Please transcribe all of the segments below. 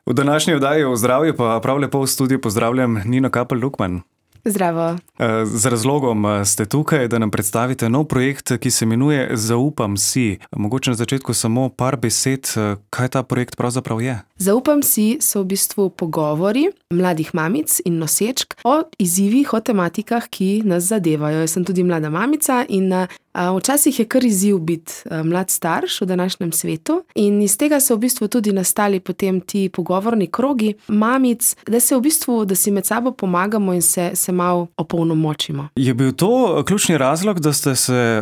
V današnji oddaji o zdravju pa prav lepo v studiu pozdravljam Nino Kapelj-Lukman. Zdravo. Z razlogom ste tukaj, da nam predstavite nov projekt, ki se imenuje Zaupam si. Mogoče na začetku samo par besed, kaj ta projekt pravzaprav je? Zaupam si so v bistvu pogovori mladih mamic in nosečk o izzivih, o tematikah, ki nas zadevajo. Jaz sem tudi mlada mamica in včasih je kar izziv biti mlad starš v današnjem svetu in iz tega so v bistvu tudi nastali potem ti pogovorni krogi mamic, da si med sabo pomagamo in se malo opolnomočimo. Je bil to ključni razlog, da ste se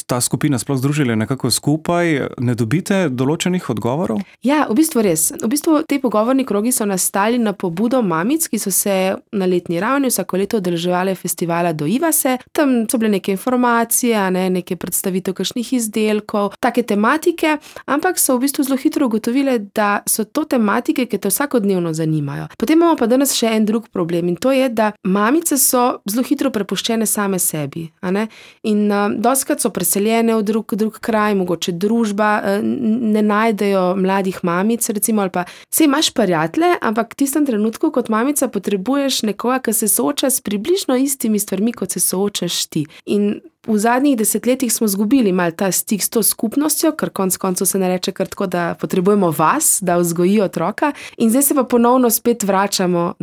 ta skupina sploh združili nekako skupaj? Ne dobite določenih odgovorov? Ja, v bistvu res. V bistvu te pogovorni krogi so nastali na pobudo mamic, ki so se na letni ravni vsako leto udeleževale festivala Doiva se. Tam so bile neke informacije, neke predstavitev kakšnih izdelkov, take tematike, ampak so v bistvu zelo hitro ugotovile, da so to tematike, ki te vsakodnevno zanimajo. Potem imamo pa danes še en drug problem in to je, da mamice so zelo hitro prepuščene same sebi. In dostikrat so preseljene v drug kraj, mogoče družba, ne najdejo mladih mamic, recimo, ali pa saj imaš prijatelje, ampak v tistem trenutku kot mamica potrebuješ nekoga, ki se sooča s približno istimi stvarmi, kot se soočaš ti. In v zadnjih desetletjih smo izgubili malo ta stik s to skupnostjo, ker konec koncev se ne reče kar tako, da potrebujemo vas, da vzgoji otroka. In zdaj se pa ponovno spet vračamo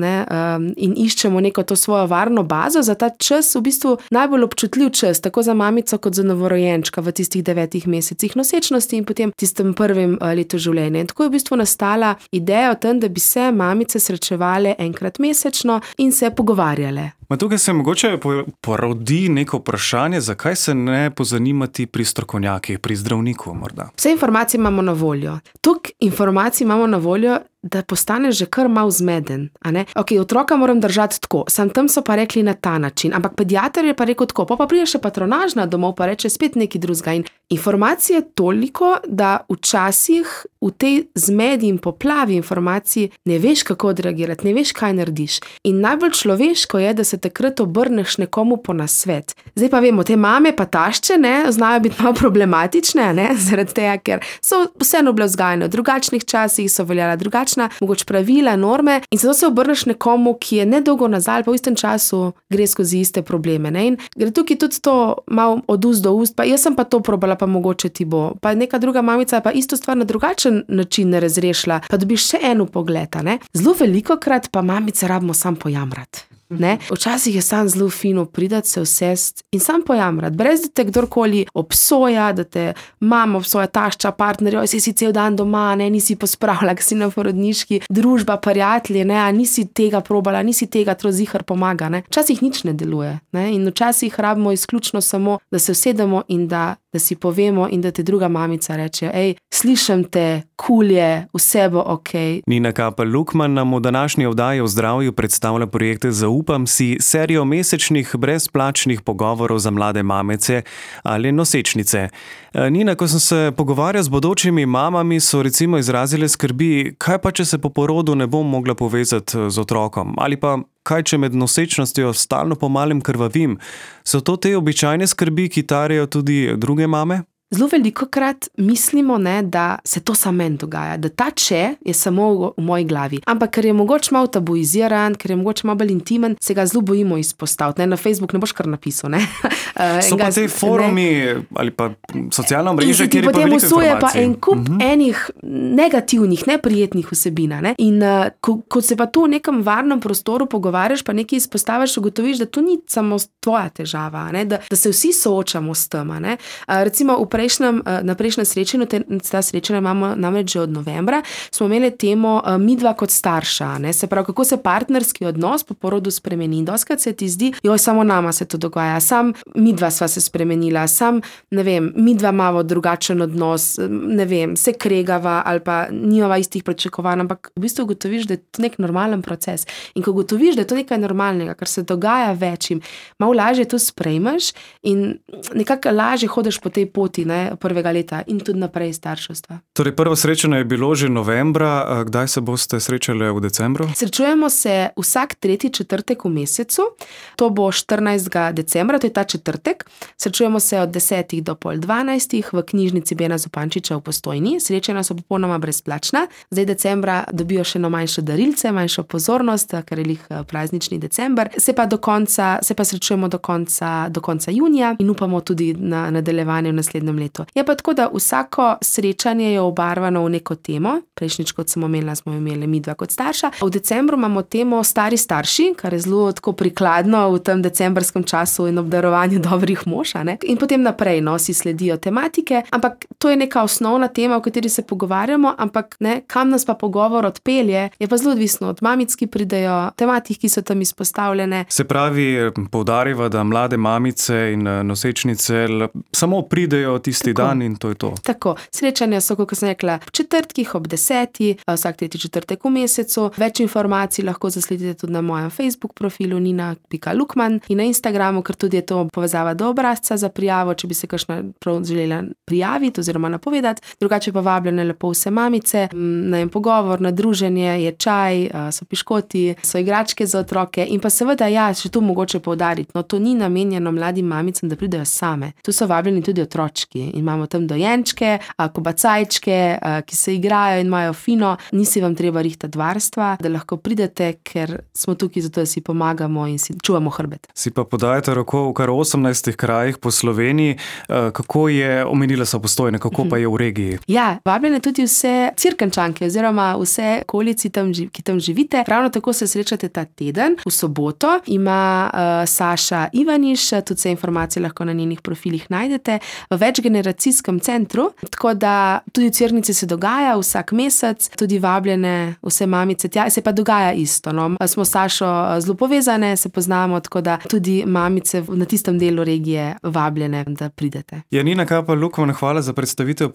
in iščemo neko to svojo varno bazo za ta čas, v bistvu najbolj občutljiv čas, tako za mamico kot za novorojenčka v tistih 9 mesecih nosečnosti in potem tistem prvem letu življenja. In tako je v bistvu nastala ideja o tem, da bi se mamice srečevale enkrat mesečno in se pogovarjale. Tukaj se mogoče porodi neko vprašanje, zakaj se ne pozanimati pri strokovnjakih, pri zdravniku morda? Vse informacije imamo na voljo. Toliko informacij imamo na voljo, da postaneš že kar malo zmeden. Ok, otroka moram držati tako, tam so pa rekli na ta način, ampak pediater je pa rekel tako, pa pride še patronažna domov, pa reče spet nekaj drugega. In informacije je toliko, da včasih v tej zmedi in poplavi informacij ne veš, kako odreagirati, ne veš, kaj narediš. In najbolj človeško je, da se takrat obrneš nekomu po nasvet. Zdaj pa vemo, te mame pa tašče, znajo biti malo problematične, zaradi tega, ker so vseeno bile vzgajane v drugačnih časih, so veljala drugačna, mogoče pravila, norme in zato se obrneš nekomu, ki je nedolgo nazaj, pa v istem času gre skozi iste probleme. In gre tukaj tudi to malo od ust do ust, pa jaz sem pa to probala, pa mogoče ti bo. Pa neka druga mamica pa isto stvar na drugačen način ne razrešila, pa dobiš še eno pogled. Zelo velikokrat pa mamice rabimo sam pojamrati. Včasih je sam zelo fino pridati, se usesti in sam pojamrati, brez da te kdorkoli obsoja, da te mama obsoja, tašča, partner, si cel dan doma, nisi pospravila, ki si na porodniški, družba, prijatelji, nisi tega probala, nisi tega, to zihar pomaga. Včasih nič ne deluje. In včasih rabimo izključno samo, da se usedemo in da si povemo in da te druga mamica reče, slišim te, je, vse bo okej. Nina Kapelj-Lukman nam v današnji oddaji o zdravju predstavlja projekte Zaupam si, serijo mesečnih brezplačnih pogovorov za mlade mamice ali nosečnice. Nina, ko sem se pogovarjal z bodočimi mamami, so recimo izrazile skrbi, kaj pa, če se po porodu ne bom mogla povezati z otrokom, ali pa kaj, če med nosečnostjo stalno po malem krvavim. So to te običajne skrbi, ki tarejo tudi druge mame? Zelo velikokrat mislimo, da se to samo meni dogaja, da ta če je samo v moji glavi. Ampak ker je mogoče malo tabuiziran, ker je mogoče malo bolj intimen, se ga zelo bojimo izpostaviti. Na Facebook ne boš kar napisal. So pa te forumi ali pa socialna mreža, kjer je pa veliko informacij. Potem usuje pa en kup enih negativnih, neprijetnih vsebin. In ko se pa tu v nekem varnem prostoru pogovarjaš, pa nekaj izpostaviš, ugotoviš, da to ni samo tvoja težava, da se vsi soočamo s tem. Recimo na prejšnjem srečanju, ta srečanja imamo namreč že od novembra, smo imeli temo midva kot starša. Se pravi, kako se partnerski odnos po porodu spremeni. In dostikrat se ti zdi, samo nama se to dogaja, sam midva sva se spremenila, midva imamo drugačen odnos, se kregava ali pa nimava istih pričakovanj, ampak v bistvu ugotoviš, da je to nek normalen proces. In ko ugotoviš, da je to nekaj normalnega, kar se dogaja večjim, malo lažje to sprejmeš in nekako lažje hodiš po tej poti prvega leta in tudi naprej starševstva. Torej, prvo srečanje je bilo že novembra, kdaj se boste srečali v decembru? Srečujemo se vsak 3. četrtek v mesecu, to bo 14. decembra, to je ta četrtek. Srečujemo se od 10. do pol 12. v knjižnici Bena Zupančiča v Postojni. Srečanja so popolnoma brezplačna. Zdaj decembra dobijo še manjše darilce, manjšo pozornost, ker je praznični december. Se pa srečujemo do konca junija in upamo tudi na nadaljevanje v naslednjem letu. Je pa tako, da vsako srečanje je obarvano v neko temo. Prejšnjič, kot sem omenila, smo imeli midva kot starša. V decembru imamo temo stari starši, kar je zelo tako prikladno v tem decembrskem času in obdarovanju dobrih mož, ne? In potem naprej, si sledijo tematike, ampak to je neka osnovna tema, o kateri se pogovarjamo, ampak kam nas pa pogovor odpelje, je pa zelo odvisno od mamic, ki pridejo, tematik, ki so tam izpostavljene. Se pravi, poudariva, da mlade mamice in nosečnice samo pridejo tisti dan in to je to. Tako, srečanja so, kot sem rekla, v četrtkih ob 10, vsak 3. četrtek v mesecu. Več informacij lahko zasledite tudi na mojem Facebook profilu nina.lukman in na Instagramu, ker tudi je to povezava do obrazca za prijavo, če bi se kakšna prav želela prijaviti oziroma napovedati. Drugače pa vabljene lepo vse mamice na en pogovor, na druženje, je čaj, so piškoti, so igračke za otroke in pa seveda še tu mogoče poudariti, to ni namenjeno mladim mamicam, da pridejo same. Tu so vabljeni tudi otročki in imamo tam dojenčke, kobacajčke, ki se igrajo in imajo fino. Nisi vam treba rihtati varstva, da lahko pridete, ker smo tukaj zato, da si pomagamo in si čuvamo hrbet. Si pa podajate roko v kar 18 krajih po Sloveniji. Kako je, omenila so Postojne, kako pa je v regiji? Ja, vabljene tudi vse Cirkančanke oziroma vse okolici, ki tam živite. Ravno tako se srečate ta teden. V soboto ima Saša Ivaniš, tudi vse informacije lahko na njenih profilih najdete, v večgeneracijskem centru, tako da tudi v Cerknici se dogaja vsak mesec, tudi vabljene vse mamice tja, se pa dogaja isto. Smo s Sašo zelo povezane, se poznamo, tako da tudi mamice na tistem delu regije vabljene, da pridete. Nina Kapel-Lukman, hvala za predstavitev